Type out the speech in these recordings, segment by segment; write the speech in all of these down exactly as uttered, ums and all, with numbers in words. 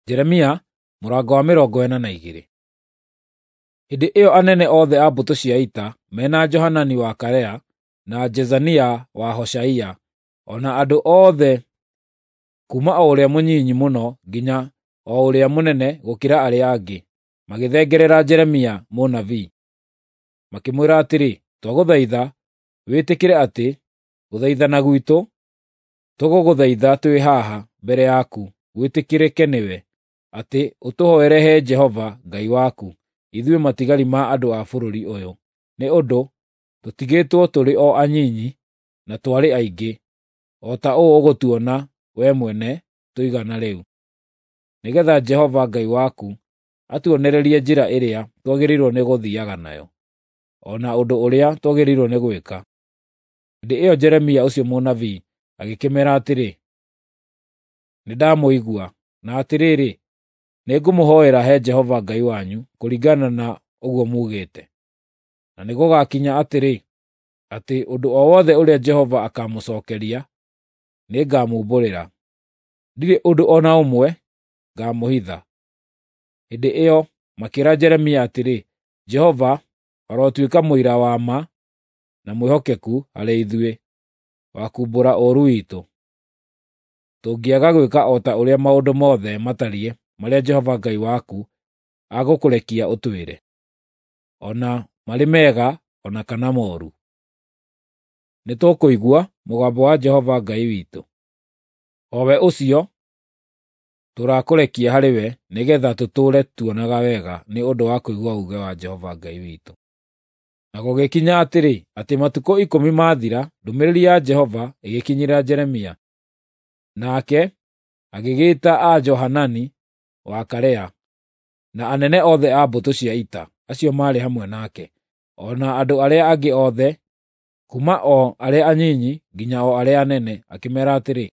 Jeremia mũrango wa mĩrongo ĩna na igĩrĩ. Hĩndĩ ĩyo anene othe a mbũtũ cia ita mena Johanani wa Karea na Jezania wa Hoshaia, o na andũ othe kuuma o ũrĩa mũnyinyi mũno nginya o ũrĩa mũnene gũkĩra arĩa angĩ, magĩthengerera Jeremia mũnabii. Makĩmwĩra atĩrĩ, “Twagũthaitha wĩtĩkĩre atĩ gũthaithana gwitũ tũgũgũthaitha twĩ haha mbere yaku gwĩtĩkĩrĩke nĩwe, atĩ ũtũhoere he Jehova Ngai waku, ithuĩ matigari ma andũ a bũrũri ũyũ, nĩ ũndũ tũtigĩtwo tũrĩ o anyinyi na twarĩ aingĩ, o ta ũũ ũgũtuona wee mwene tũigana rĩu. Nĩgeetha Jehova Ngai waku atuonererie njĩra ĩrĩa twagĩrĩirwo nĩ gũthiiaga nayo, o na ũndũ ũrĩa twagĩrĩirwo nĩ gwĩka.” Hĩndĩ ĩyo Jeremia ũcio mũnabii agĩkĩmeera atĩrĩ, “Nĩndamũigua, na atĩrĩrĩ, nĩngũmũhoera he Jehova Ngai wanyu kũringana na ũguo muugĩte. Na nĩgũgakinya atĩrĩ, atĩ ũndũ o wothe ũrĩa Jehova akaamũcookeria, nĩngamumbũrĩra. Ndirĩ ũndũ o na ũmwe ngaamũhitha.” Hĩndĩ ĩyo makĩĩra Jeremia atĩrĩ, “Jehova arotuĩka mũira wa ma na mwĩhokeku harĩ ithuĩ, wa kuumbũra ũũru witũ, tũngĩaga gwĩka o ta ũrĩa maũndũ mothe matariĩ marĩa Jehova Ngai waku agũkũrekia ũtwĩre, o na marĩ mega o na kana mooru. Nĩtũkũigua mũgambo wa Jehova Ngai witũ, o we ũcio tũrakũrekia harĩ we nĩgeetha tũtũũre tuonaga wega nĩ ũndũ wa kũigua uuge wa Jehova Ngai witũ.” Na gũgĩkinya atĩrĩ, atĩ matukũ ikũmi maathira, ndũmĩrĩri ya Jehova ĩgĩkinyĩra Jeremia. Nake agĩgĩĩta a Johanani wa Karea na anene othe a mbũtũ cia ita acio maarĩ hamwe nake, o na andũ arĩa angĩ othe, kuuma o arĩa anyinyi nginya o arĩa anene, akĩmeera atĩrĩ,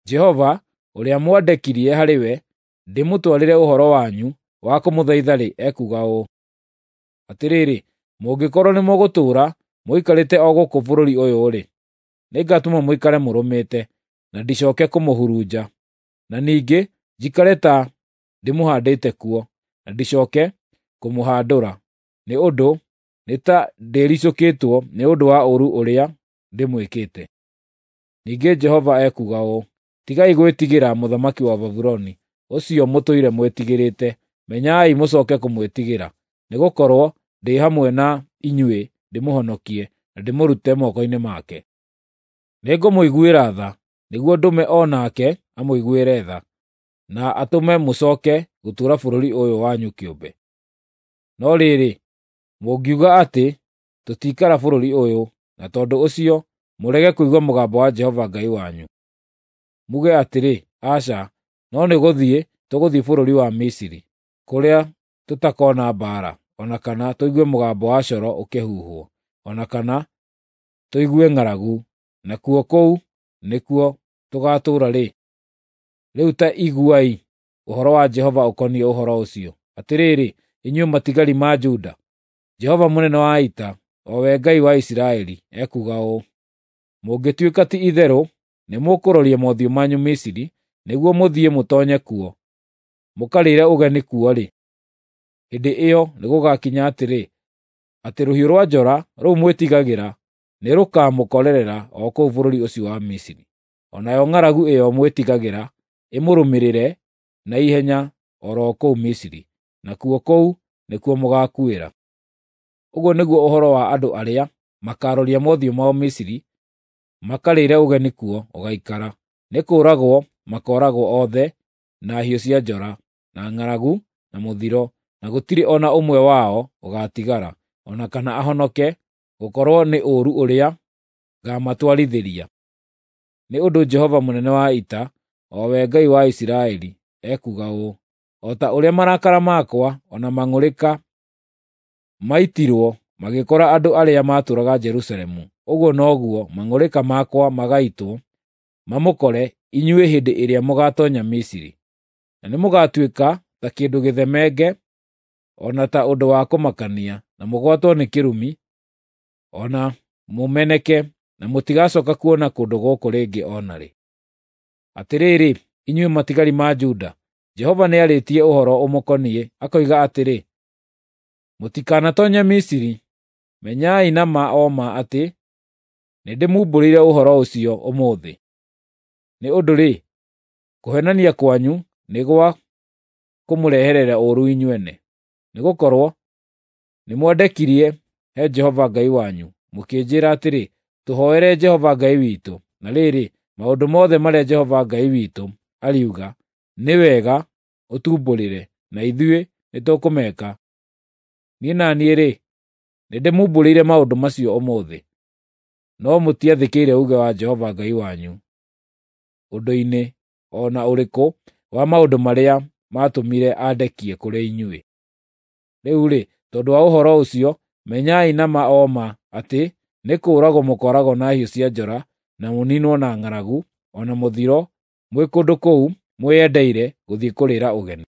“Jehova, ũrĩa mwandekirie harĩ we ndĩmũtwarĩre ũhoro wanyu wa kũmũthaitha-rĩ, ekuuga ũũ: Atĩrĩrĩ, mũngĩkorwo nĩmũgũtũũra mũikarĩte o gũkũ bũrũri ũyũ-rĩ, nĩngatũma mũikare mũrũmĩte, na ndicooke kũmũhurunja, na ningĩ njikare ta ndĩmũhaandĩte kuo, na ndicooke kũmũhandũra, nĩ ũndũ nĩ ta ndĩricũkĩtwo nĩ ũndũ wa ũũru ũrĩa ndĩmwĩkĩte. Ningĩ Jehova ekuuga ũũ: Tigai gwĩtigĩra mũthamaki wa Babuloni, ũcio mũtũire mwĩtigĩrĩte. Menyai mũcooke kũmwĩtigĩra, nĩgũkorwo ndĩ hamwe na inyuĩ ndĩmũhonokie na ndĩmũrute moko-inĩ make. Nĩngũmũiguĩra tha, nĩguo ndũme o nake amũiguĩre tha, na atũme mũcooke gũtũũra bũrũri ũyũ wanyu kĩũmbe. No rĩrĩ, mũngiuga atĩ, ‘Tũtiikara bũrũri ũyũ,’ na tondũ ũcio mũrege kũigua mũgambo wa Jehova Ngai wanyu, muge atĩrĩ, ‘Aca, no nĩgũthiĩ tũgũthiĩ bũrũri wa Misiri, kũrĩa tũtakoona mbaara, o na kana tũigue mũgambo wa coro ũkĩhuhwo, o na kana tũigue ng'aragu, nakuo kũu nĩkuo tũgaatũũra-rĩ,’ rĩu ta iguai ũhoro wa Jehova ũkoniĩ ũhoro ũcio. Atĩrĩrĩ, inyuĩ matigari ma Juda, Jehova mũnene wa ita, o we Ngai wa Isiraeli, ekuuga ũũ: Mũngĩtuĩka ti-itherũ nĩmũkũroria mothiũ manyu Misiri nĩguo mũthiĩ mũtoonye kuo, mũkarĩĩre ũgeni kuo-rĩ, hĩndĩ ĩyo nĩgũgakinya atĩrĩ, atĩ rũhiũ rwa njora rũu mwĩtigagĩra nĩrũkamũkorerera o kũu bũrũri ũcio wa Misiri, o nayo ng'aragu ĩyo mwĩtigagĩra ĩmũrũmĩrĩre na ihenya o ro kũu Misiri, nakuo kũu nĩkuo mũgaakuĩra. Ũguo nĩguo ũhoro wa andũ arĩa makaaroria mothiũ mao Misiri makarĩĩre ũgeni kuo ũgaikara: nĩ kũũragwo makooragwo othe na hiũ cia njora, na ng'aragu, na mũthiro, na gũtirĩ o na ũmwe wao ũgaatigara, o na kana ahonoke gũkorwo nĩ ũũru ũrĩa ngaamatwarithĩria. Nĩ ũndũ Jehova mũnene wa ita, o we Ngai wa Isiraeli, ekuuga ũũ: O ta ũrĩa marakara makwa o na mang'ũrĩka maitirwo magĩkora andũ arĩa maatũũraga Jerusalemu, ũguo noguo mang'ũrĩka makwa magaitwo mamũkore inyuĩ hĩndĩ ĩrĩa mũgaatoonya Misiri. Na nĩmũgatuĩka ta kĩndũ gĩthemenge, o na ta ũndũ wa kũmakania, na mũgwatwo nĩ kĩrumi, o na mũmeneke, na mũtigacooka kuona kũndũ gũkũ rĩngĩ o na rĩ. Atĩrĩrĩ, inyuĩ matigari ma Juda, Jehova nĩarĩtie ũhoro ũmũkoniĩ, akoiga atĩrĩ, Mũtikanatoonye Misiri. Menyai na ma o ma atĩ nĩndĩmumbũrĩire ũhoro ũcio ũmũthĩ. Nĩ ũndũ-rĩ, kũheenania kwanyu nĩ gwa kũmũreherera ũũru inyuene, nĩgũkorwo nĩmwendekirie he Jehova Ngai wanyu, mũkĩnjĩĩra atĩrĩ, ‘Tũhooere Jehova Ngai witũ.’ Na rĩrĩ, maũndũ mothe marĩa Jehova Ngai witũ ariuga nĩ wega ũtumbũrĩre, na ithuĩ nĩtũkũmeka. Niĩ na niĩ-rĩ, nĩndĩmumbũrĩire maũndũ macio ũmũthĩ. No mũtiathĩkĩire uuge wa Jehova Ngai wanyu ũndũ-inĩ o na ũrĩkũ wa maũndũ marĩa maatũmire andekie kũrĩ inyuĩ. Rĩu-rĩ, tondũ wa ũhoro ũcio, menyai na ma o ma atĩ nĩ kũũragwo mũkooragwo na hiũ cia njora, na mũniinwo na ng'aragu, o na mũthiro, mwĩ kũndũ kũu mwĩyendeire gũthiĩ kũrĩĩra ũgeni.